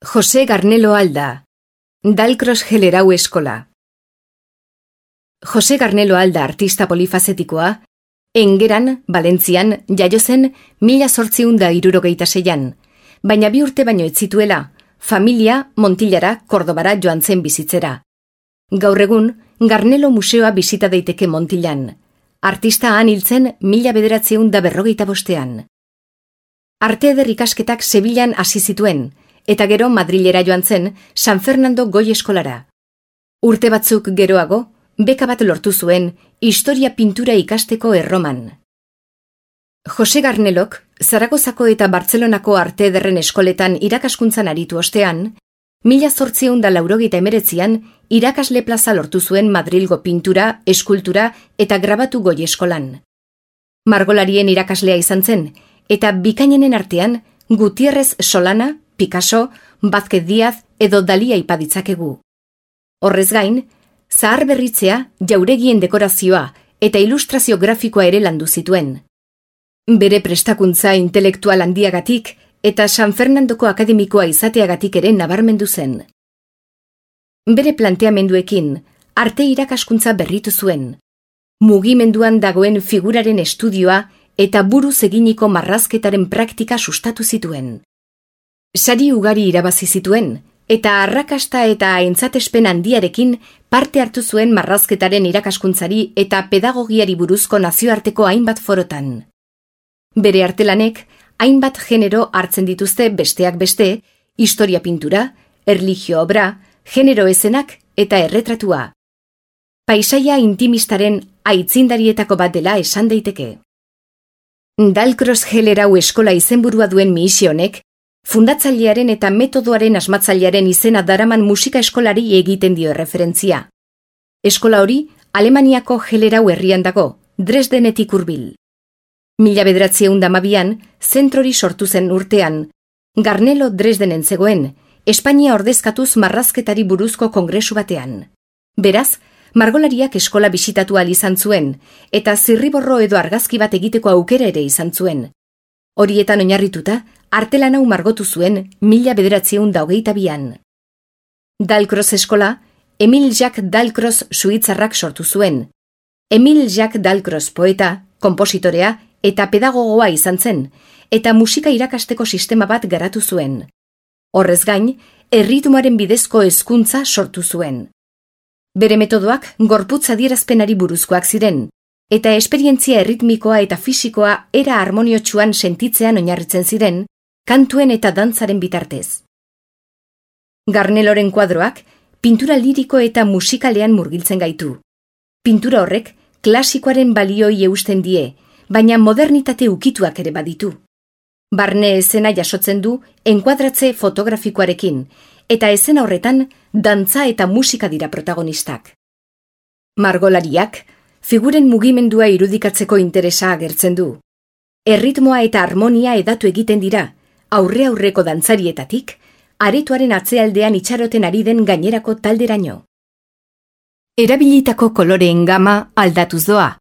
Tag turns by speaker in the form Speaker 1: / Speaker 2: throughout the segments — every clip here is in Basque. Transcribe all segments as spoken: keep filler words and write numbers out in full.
Speaker 1: Jose Garnelo Alda, Dalcross Gelerau Eskola. Jose Garnelo Alda artista polifazetikoa, Engeran, Valentzian, jaio zen mila zortziehun eta hirurogeita seian, baina bi urte baino ez zituela, familia Montillara, Kordobara joan zen bizitzera. Gaur egun, Garnelo Museoa bisita daiteke Montillan. Artista han hiltzen mila bederatziehun eta berrogeita bostean. Arte eder ikasketak Sevillan hasi zituen, eta gero Madrilera joan zen San Fernando Goi Eskolara. Urte batzuk geroago, beka bat lortu zuen historia pintura ikasteko Erroman. Jose Garnelok, Zaragozako eta Bartzelonako arte ederren eskoletan irakaskuntzan aritu ostean, mila zortziehun eta laurogeita hemeretzian irakasle plaza lortu zuen Madrilgo pintura, eskultura eta grabatu Goi Eskolan. Margolarien irakaslea izan zen, eta bikainenen artean Gutierrez Solana, Picasso, Vázquez Díaz edo Dali aipa ditzakegu. Horrez gain, zahar berritzea, jauregien dekorazioa eta ilustrazio grafikoa ere landu zituen. Bere prestakuntza intelektual handiagatik eta San Fernandoko akademikoa izateagatik ere nabarmendu zen. Bere planteamenduekin, arte irakaskuntza berritu zuen. Mugimenduan dagoen figuraren estudioa eta buruz eginiko marrazketaren praktika sustatu zituen. Sari ugari irabazi zituen, eta arrakasta eta aintzatespen handiarekin parte hartu zuen marrazketaren irakaskuntzari eta pedagogiari buruzko nazioarteko hainbat forotan. Bere artelanek, hainbat genero hartzen dituzte besteak beste, historia pintura, erlijio obra, genero ezenak eta erretratua. Paisaia intimistaren aitzindarietako bat dela esan daiteke. Dalcross Gelerau Eskola izenburua duen misionek, fundatzailearen eta metodoaren asmatzailearen izena daraman musika eskolari egiten dio erreferentzia. Eskola hori Alemaniako Gelerau herrian dago, Dresdenetik hurbil. Mila bederatziehun eta hamabian, zentrori sortu zen urtean, Garnelo Dresdenen zegoen, Espainia ordezkatuz marrazketari buruzko kongresu batean. Beraz, margolariak eskola bisitatu ahal izan zuen, eta zirriborro edo argazki bat egiteko aukera ere izan zuen. Horietan oinarrituta, artelan hau margotu zuen mila bederatziehun eta hogeita bian. Dalcross Eskola, Emil Jacques Dalcross suitzarrak sortu zuen. Emil Jacques Dalcross poeta, konpositorea eta pedagogoa izan zen, eta musika irakasteko sistema bat garatu zuen. Horrez gain, erritmoaren bidezko hezkuntza sortu zuen. Bere metodoak gorputz adierazpenari buruzkoak ziren, eta esperientzia erritmikoa eta fisikoa era harmoniotsuan sentitzean oinarritzen ziren, kantuen eta dantzaren bitartez. Garneloren kuadroak pintura liriko eta musikalean murgiltzen gaitu. Pintura horrek klasikoaren balioi eusten die, baina modernitate ukituak ere baditu. Barne esena jasotzen du enkuadratze fotografikoarekin, eta esena horretan dantza eta musika dira protagonistak. Margolariak figuren mugimendua irudikatzeko interesa agertzen du. Erritmoa eta harmonia edatu egiten dira, aurre aurreko dantzarietatik, aretoaren atzealdean itxaroten ari den gainerako talderaino. Erabilitako koloreen gama aldatuz doa.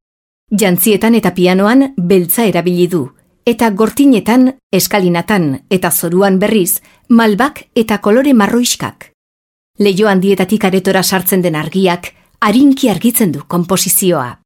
Speaker 1: Jantzietan eta pianoan beltza erabili du, eta gortinetan, eskalinatan eta zoruan berriz, malbak eta kolore marroiskak. Leiho handietatik aretora sartzen den argiak, arinki argitzen du konposizioa.